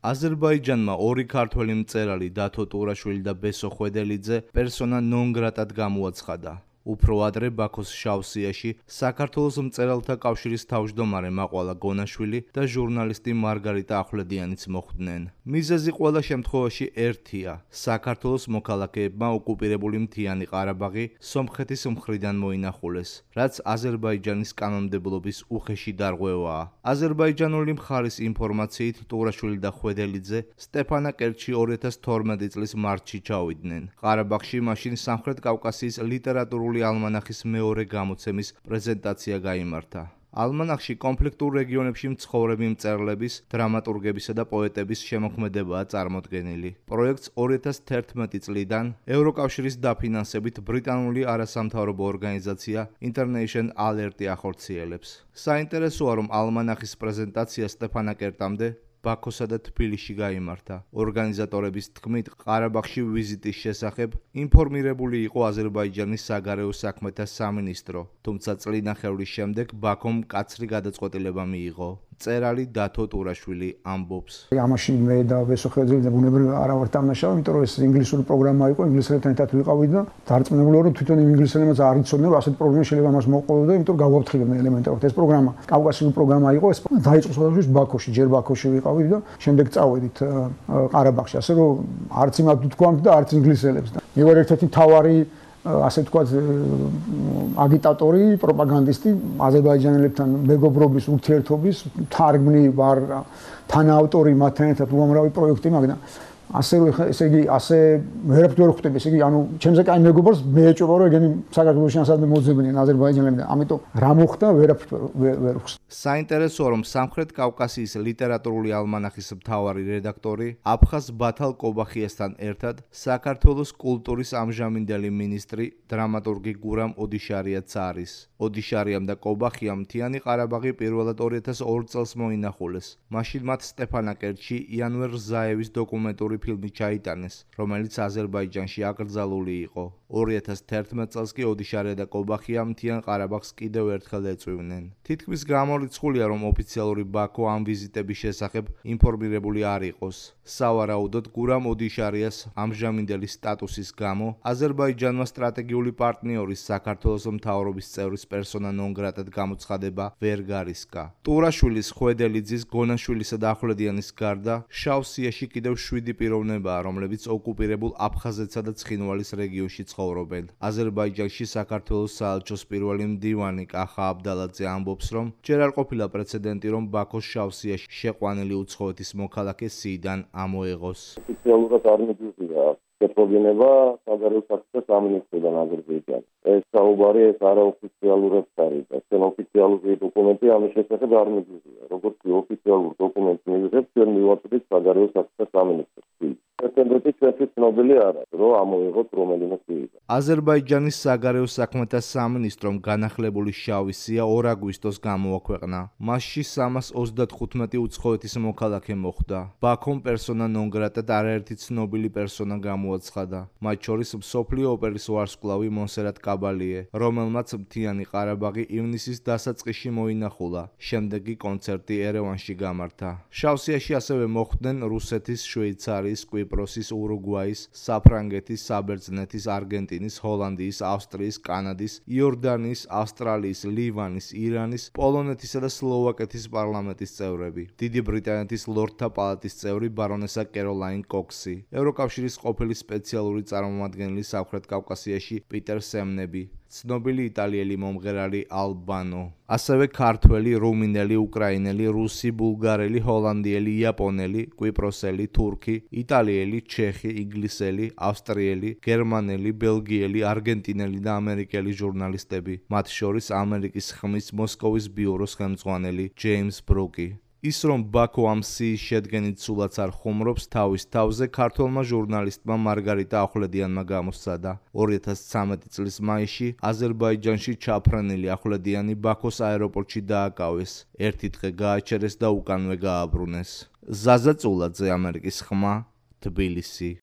აზერბაიჯანმა ორი ქართველი მწერალი დათო ტურაშვილი და ბესო ხვედელიძე პერსონა ნონ გრატად გამოაცხადა. უფრო ადრე ბაქოს შავსიაში საქართველოს მწერალთა კავშირის თავმჯდომარე მაყვალა გონაშვილი და ჟურნალისტი მარგარიტა ახვლედიანიც მოხვდნენ. მიზეზი ყველა შემთხვევაში ერთია: საქართველოს მოქალაქეებმა ოკუპირებული მთიანი ყარაბაღი სომხეთის მხრიდან მოინახულეს, რაც აზერბაიჯანის კანონმდებლობის უხეში დარღვევაა. აზერბაიჯანული მხარის ინფორმაციით ტურაშვილი და ხვედელიძე სტეფანაკერტში 2012 წლის მარტში ჩავიდნენ. ყარაბაღში მაშინ სამხრეთ კავკასიის ლიტერატურული ალმანახის მეორე გამოცემის პრეზენტაცია გაიმართა. ალმანახში კონფლიქტურ რეგიონებში მცხოვრები მწერლების, დრამატურგებისა და პოეტების შემოქმედებაა წარმოდგენილი. პროექტს 2011 წლიდან ევროკავშირის დაფინანსებით ბრიტანული არასამთავრობო ორგანიზაცია International Alert ახორციელებს. საინტერესოა, რომ ალმანახის პრეზენტაცია სტეფანაკერტამდე ბაქოსა და თბილისში გაიმართა. ორგანიზატორების თქმით, ყარაბაღში ვიზიტის შესახებ ინფორმირებული იყო აზერბაიჯანის საგარეო საქმეთა სამინისტრო, თუმცა წლინახევრის შემდეგ ბაქომ მკაცრი გადაწყვეტილება მიიღო. მწერალი დათო ტურაშვილი ამბობს: ამაში მე და ბესო ხვედელიძე ბუნებრივად არა ვართ დამნაშავე, იმიტომ რომ ეს ინგლისური პროგრამა იყო, ინგლისელებთან ერთად ვიყავით და დარწმუნებული ვარ, რომ თვითონ ინგლისელებმაც არ იცოდნენ, რომ ასეთი პრობლემა შეიძლება მას მოყოლოდა, იმიტომ რომ გავაფრთხილებდნენ ელემენტარულად. ეს პროგრამა კავკასიური პროგრამა იყო, ეს დაიწყო სხვადასხვა ბაქოში, ჯერ ბაქოში ვიყავით და შემდეგ წავედით ყარაბაღში, ასე რომ არც იმათ ვთქვამთ და არც ინგლისელებს. მე ვარ ერთ-ერთი მთავარი ასე ვთქვათ აგიტატორი, პროპაგანდისტი აზერბაიჯანელებთან მეგობრობის, ურთიერთობის, თარგმნი ვარ, თანაავტორი მათთან ერთად უამრავი პროექტი, მაგრამ ესე იგი ასე ვერაფერ ვერ ხვდები, ესე იგი ანუ ჩემზე კაი მეგობრს მე ეჭვება, რომ ეგენი საქართველოში ასადმე მოძებნიან აზერბაიჯანელები და ამიტომ რა მოხდა ვერაფერ ვერ ვხსნ. საინტერესოა, რომ სამხრეთ კავკასიის ლიტერატურული ალმანახის მთავარი რედაქტორი აფხაზ ბათალ კობახიასთან ერთად საქართველოს კულტურის ამჟამინდელი მინისტრი დრამატურგი გურამ ოდიშარიაც არის. ოდიშარიამ და კობახიამ მთიანი ყარაბაღი პირველად 2002 წელს მოინახულეს. მაშინ მათ სტეფანაკერტში იანვერ რზაევის დოკუმენტური ფილმი ჩაიტანეს, რომელიც აზერბაიჯანში აკრძალული იყო. 2011 წელს კი ოდიშარია და კობახია მთიან ყარაბაღს კიდევ ერთხელ ეწვივნენ. თითქმის გამორიცხულია, რომ ოფიციალური ბაქო ამ ვიზიტების შესახებ ინფორმირებული არ იყოს. სავარაუდოდ, გურამ ოდიშარიას ამჟამინდელი სტატუსის გამო აზერბაიჯანმა სტრატეგიული პარტნიორის საქართველოს მთავრობის წევრის პერსონა ნონ გრატად გამოცხადება ვერ გარისკა. ტურაშვილის, ხვედელიძის, გონაშვილისა და ახვლედიანის გარდა შავსიაში კიდევ 7 პიროვნებაა, რომლებიც ოკუპირებულ აფხაზეთსა და ცხინვალის რეგიონში ცხოვრობენ. აზერბაიჯანში საქართველოს საელჩოს პირველი მდივანი კახა აბდალაძე ამბობს, რომ ჯერ არ ყოფილა პრეცედენტი, რომ ბაქოს შავსიაში შეყვანილი უცხოეთის მოქალაქე სიიდან ამოეღოს. ოფიციალურად არ მიდიოდა შეპროგენება საგარეო საქმეთა სამინისტროდან აზერბაიჯანს. ეს საუბარი ეს არაოფიციალურად არის და ეს ოფიციალური დოკუმენტი ამის შესახებ არ მიდიოდა. როგორც ოფიციალურ დოკუმენტს მივიღებთ, ჩვენ მივაწვდით საგარეო საქმეთა სამინისტროს. პრეცედენტი ჩვენთვის ცნობილი არა, რომ ამოიღოთ რომელიმე სიიდან. აზერბაიჯანის საგარეო საქმეთა სამინისტრომ განახლებული შავი სია 2 აგვისტოს გამოაქვეყნა. მასში 335 უცხოეთის მოქალაქე მოხვდა. ბაქომ პერსონა ნონ გრატად არაერთი ცნობილი პერსონა გამოაცხადა. მათ შორის მსოფლიო ოპერის ვარსკვლავი მონსერატ კაბალიე, რომელმაც მთიანი ყარაბაღი ივნისის დასაწყისში მოინახულა. შემდეგი კონცერტი ერევანში გამართა. შავსიაში ასევე მოხვდნენ რუსეთის, შვეიცარიის, კვიპროსის, ურუგვაის, საფრანგეთის, საბერძნეთის, არგენტინის, ჰოლანდიის, ავსტრიის, კანადის, იორდანიის, ავსტრალიის, ლივანის, ირანის, პოლონეთისა და სლოვაკეთის პარლამენტის წევრები. დიდი ბრიტანეთის ლორდთა პალატის წევრი ბარონესა კეროლაინ კოქსი, ევროკავშირის ყოფილი სპეციალური წარმომადგენელი სამხრეთ კავკასიაში პიტერ სემნები, ცნობილი იტალიელი მომღერალი ალბანო, ასევე ქართველი, რუმინელი, უკრაინელი, რუსი, ბულგარელი, ჰოლანდიელი, იაპონელი, კვიპროსელი, თურქი, იტალიელი, ჩეხი, ინგლისელი, ავსტრიელი, გერმანელი, ბელგიელი, არგენტინელი და ამერიკელი ჟურნალისტები, მათ შორის ამერიკის ხმის მოსკოვის ბიუროს ხელმძღვანელი ჯეიმს ბრუკი. ის რომ ბაქო ამ სიის შედგენით სულაც არ ხუმრობს, თავის თავზე ქართველმა ჟურნალისტმა მარგარიტა ახვლედიანმა გამოსცადა. 2013 წლის მაისში აზერბაიჯანში ჩაფრენილი ახვლედიანი ბაქოს აეროპორტში დააკავეს. ერთი დღე გააჩერეს და უკანვე გააბრუნეს. ზაზა წულაძე, ამერიკის ხმა, თბილისი.